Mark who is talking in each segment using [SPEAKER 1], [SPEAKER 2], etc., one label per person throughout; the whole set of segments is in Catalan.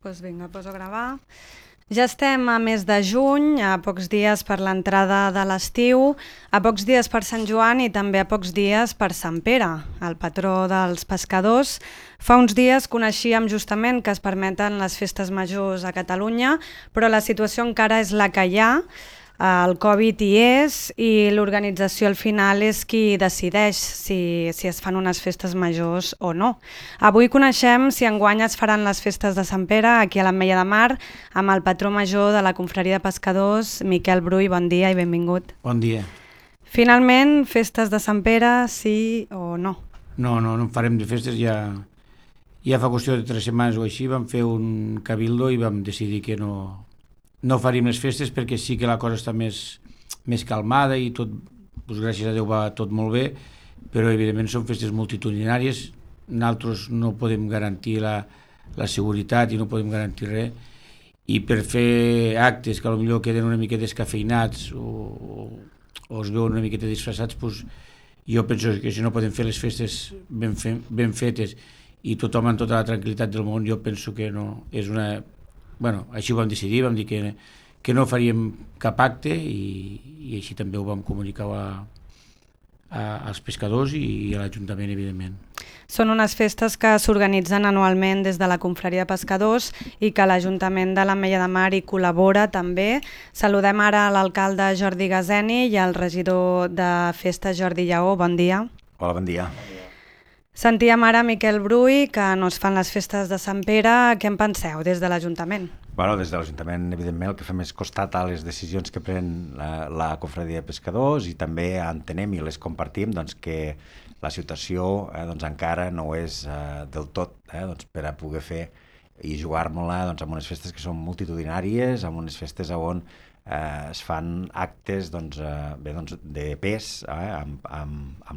[SPEAKER 1] Doncs vinga, poso a gravar. Ja estem a mes de juny, a pocs dies per l'entrada de l'estiu, a pocs dies per Sant Joan i també a pocs dies per Sant Pere, el patró dels pescadors. Fa uns dies coneixíem justament que es permeten les festes majors a Catalunya, però la situació encara és la que hi ha. El Covid hi és i l'organització al final és qui decideix si es fan unes festes majors o no. Avui coneixem si enguany es faran les festes de Sant Pere aquí a l'Ametlla de Mar amb el patró major de la Confraria de Pescadors, Miquel Brull. Bon dia i benvingut.
[SPEAKER 2] Bon dia.
[SPEAKER 1] Finalment, festes de Sant Pere, sí o no?
[SPEAKER 2] No farem de festes, ja fa qüestió de 3 setmanes o així vam fer un cabildo i vam decidir que no faríem les festes perquè sí que la cosa està més calmada i tot, doncs gràcies a Déu va tot molt bé, però evidentment són festes multitudinàries, nosaltres no podem garantir la seguretat i no podem garantir res, i per fer actes que potser queden una mica descafeinats o es veuen una miqueta disfressats, doncs jo penso que si no podem fer les festes ben fetes i tothom amb tota la tranquil·litat del món, jo penso que no és una... Bueno, així ho vam decidir, vam dir que no faríem cap acte i així també ho vam comunicar als pescadors i a l'Ajuntament, evidentment.
[SPEAKER 1] Són unes festes que s'organitzen anualment des de la Confraria de Pescadors i que l'Ajuntament de l'Ametlla de Mar hi col·labora també. Saludem ara l'alcalde Jordi Gazeni i el regidor de Festes Jordi Lleó. Bon dia.
[SPEAKER 3] Hola, bon dia.
[SPEAKER 1] Sentíem ara Miquel Brull que no es fan les festes de Sant Pere. Què en penseu des de l'Ajuntament?
[SPEAKER 3] Bueno, des de l'Ajuntament, evidentment, el que fem és costat a les decisions que pren la Confraria de Pescadors i també entenem i les compartim doncs, que la situació encara no és del tot per a poder fer i jugar-nos-la amb unes festes que són multitudinàries, amb unes festes on es fan actes de pes amb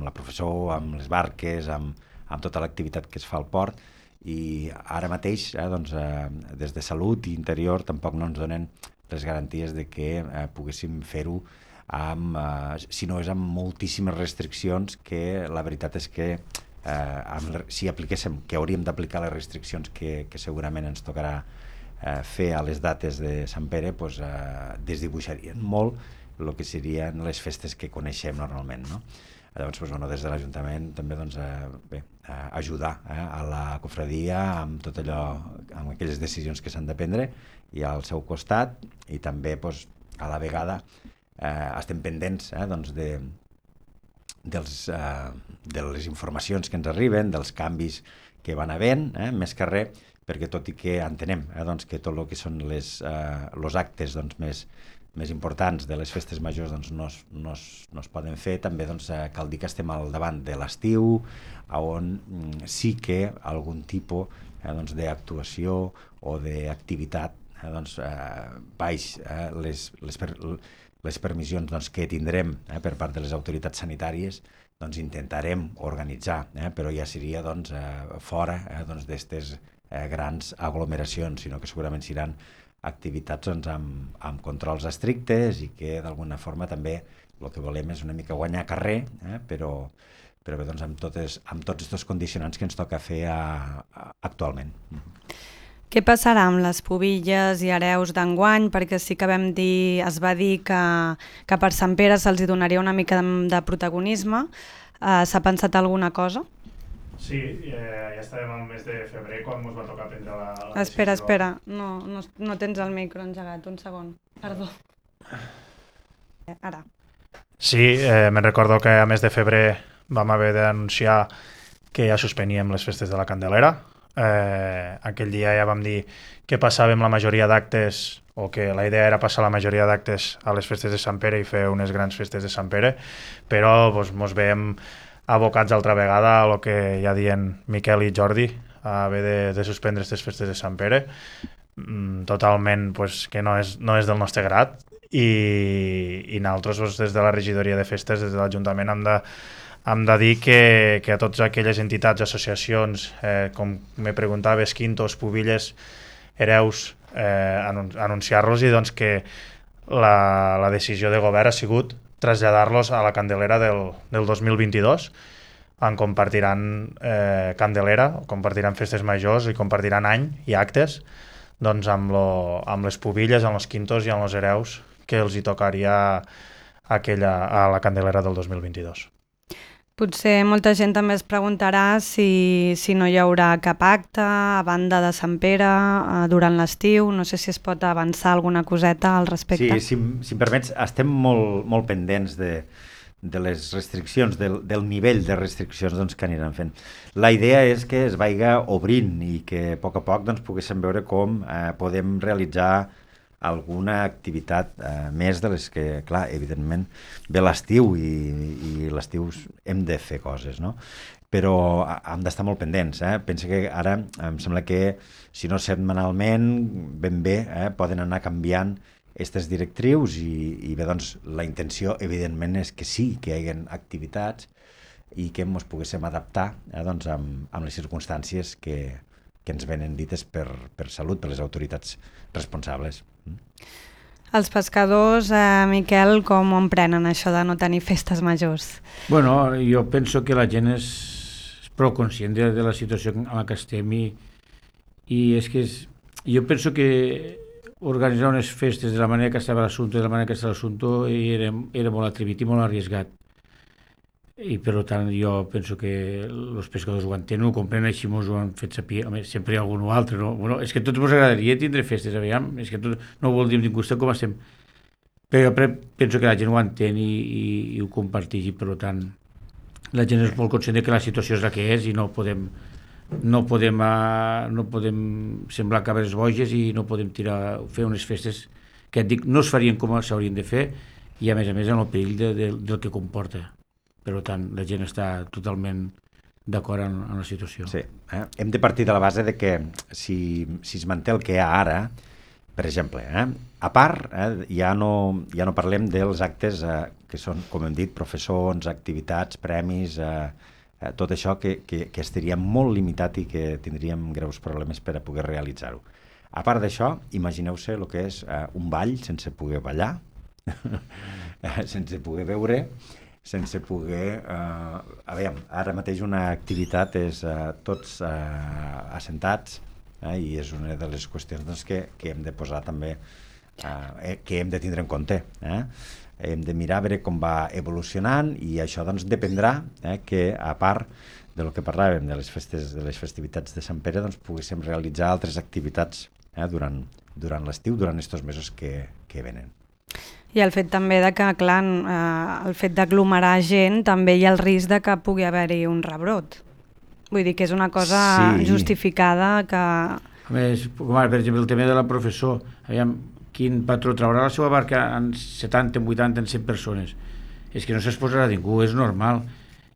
[SPEAKER 3] la professó, amb les barques, amb tota l'activitat que es fa al port, i ara mateix des de Salut i Interior tampoc no ens donen les garanties de que poguéssim fer-ho si no és amb moltíssimes restriccions, que la veritat és que si apliquéssim, que hauríem d'aplicar les restriccions que segurament ens tocarà fer a les dates de Sant Pere, desdibuixarien molt el que serien les festes que coneixem normalment, no? Llavors, des de l'Ajuntament també ajudar a la confraria amb tot allò, amb aquelles decisions que s'han de prendre i al seu costat, i també a la vegada estem pendents de les informacions que ens arriben, dels canvis que van havent, més que res, perquè tot i que entenem que tot el que són els actes més importants de les festes majors no es poden fer, també cal dir que estem al davant de l'estiu, on sí que algun tipus d'actuació o d'activitat baix les permissions que tindrem per part de les autoritats sanitàries, intentarem organitzar, però ja seria fora d'aquestes grans aglomeracions, sinó que segurament seran activitats amb controls estrictes i que d'alguna forma també el que volem és una mica guanyar carrer, però bé, amb tots aquests condicionants que ens toca fer actualment.
[SPEAKER 1] Què passarà amb les pubilles i hereus d'enguany? Perquè sí que es va dir que per Sant Pere se'ls donaria una mica de protagonisme. S'ha pensat alguna cosa?
[SPEAKER 4] Sí, ja estàvem al mes de febrer quan ens va tocar prendre la decisió.
[SPEAKER 1] Espera, no tens el micro engegat, un segon, perdó. Ara.
[SPEAKER 4] Sí, me'n recordo que a mes de febrer vam haver d'anunciar que ja suspeníem les festes de la Candelera. Aquell dia ja vam dir que passàvem la majoria d'actes, o que la idea era passar la majoria d'actes a les festes de Sant Pere i fer unes grans festes de Sant Pere, però ens veiem abocats altra vegada a el que ja diuen Miquel i Jordi, a haver de suspendre aquestes festes de Sant Pere, totalment que no és del nostre grat, i nosaltres des de la regidoria de festes, des de l'Ajuntament, hem de dir que a totes aquelles entitats, associacions, com me preguntaves, quintos, pubilles, hereus, anunciar-los i que la decisió de govern ha sigut traslladar-los a la Candelera del 2022, on compartiran Candelera, compartiran festes majors i compartiran any i actes doncs amb les pubilles, amb els quintos i amb els hereus que els hi tocaria a la Candelera del 2022.
[SPEAKER 1] Potser molta gent també es preguntarà si no hi haurà cap acte a banda de Sant Pere durant l'estiu. No sé si es pot avançar alguna coseta al respecte.
[SPEAKER 3] Sí, si em permets, estem molt pendents de les restriccions, del nivell de restriccions doncs, que aniran fent. La idea és que es vaiga obrint i que a poc doncs, poguéssim veure com podem realitzar alguna activitat més de les que, clar, evidentment, ve l'estiu i l'estiu hem de fer coses, no? Però hem d'estar molt pendents. Pensa que ara em sembla que, si no setmanalment, ben bé, poden anar canviant aquestes directrius i bé, doncs, la intenció, evidentment, és que sí, que hi hagi activitats i que ens poguéssim adaptar doncs, amb les circumstàncies que ens venen dites per salut, per les autoritats responsables.
[SPEAKER 1] Els pescadors, Miquel, com ho prenen això de no tenir festes majors?
[SPEAKER 2] Bueno, jo penso que la gent és prou conscient de la situació en la que estem i és que jo penso que organitzar unes festes de la manera que estava l'assumpte, de la manera que estava l'assumpte, era molt atrevit i molt arriesgat. I per tant jo penso que els pescadors ho entenen, ho comprenen, així mos ho han fet saber. Sempre hi ha algun altre, no? Bueno, és que a tots ens agradaria tindre festes, aviam, és que tot, no ho vol dir ningú, com estem. Però jo penso que la gent ho entén i ho comparteix, i per tant la gent és molt conscient que la situació és la que és i no podem semblar cabres boges i no podem fer unes festes que et dic, no es farien com s'haurien de fer i a més en el perill del que comporta. Per tant, la gent està totalment d'acord en la situació.
[SPEAKER 3] Sí, hem de partir de la base de que si es manté el que hi ha ara, per exemple, a part, ja no parlem dels actes que són, com hem dit, professors, activitats, premis, tot això que estaria molt limitat i que tindríem greus problemes per a poder realitzar-ho. A part d'això, imagineu-se el que és un ball sense poder ballar, sense poder veure, sense poder... ara mateix una activitat és tots assentats i és una de les qüestions doncs, que hem de posar també, que hem de tindre en compte. Hem de mirar a veure com va evolucionant i això doncs, dependrà que, a part del que parlàvem de les festivitats de Sant Pere, doncs, poguéssim realitzar altres activitats durant l'estiu, durant aquests mesos que venen.
[SPEAKER 1] I el fet també de que, clar, el fet d'aglomerar gent, també hi ha el risc de que pugui haver-hi un rebrot. Vull dir que és una cosa justificada que...
[SPEAKER 2] A més, com ara, per exemple, el tema de la professor, aviam, quin patró traurà la seva barca en 70, en 80, en 100 persones? És que no s'exposarà ningú, és normal.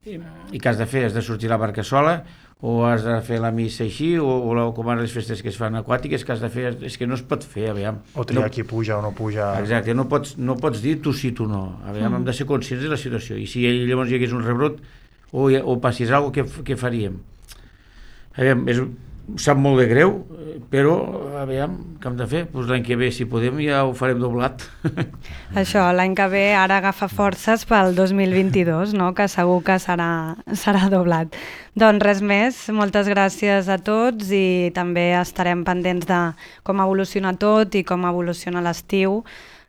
[SPEAKER 2] I què has de fer? Has de sortir la barca sola? O has de fer la missa així, o com ara les festes que es fan aquàtiques, que has de fer, és que no es pot fer, aviam.
[SPEAKER 4] O triar qui puja o no puja.
[SPEAKER 2] Exacte, no pots dir tu sí, tu no. Aviam, hem de ser conscients de la situació. I si llavors hi hagués un rebrot o passés alguna cosa, què faríem? Aviam, sap molt de greu, però aviam, què hem de fer? Doncs l'any que ve, si podem, ja ho farem doblat.
[SPEAKER 1] Això, l'any que ve ara agafa forces pel 2022, no? Que segur que serà doblat. Doncs res més, moltes gràcies a tots i també estarem pendents de com evoluciona tot i com evoluciona l'estiu.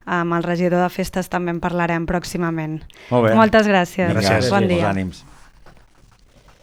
[SPEAKER 1] Amb el regidor de festes també en parlarem pròximament.
[SPEAKER 3] Molt bé.
[SPEAKER 1] Moltes gràcies.
[SPEAKER 3] Gràcies.
[SPEAKER 1] Bon dia.
[SPEAKER 3] Molts ànims.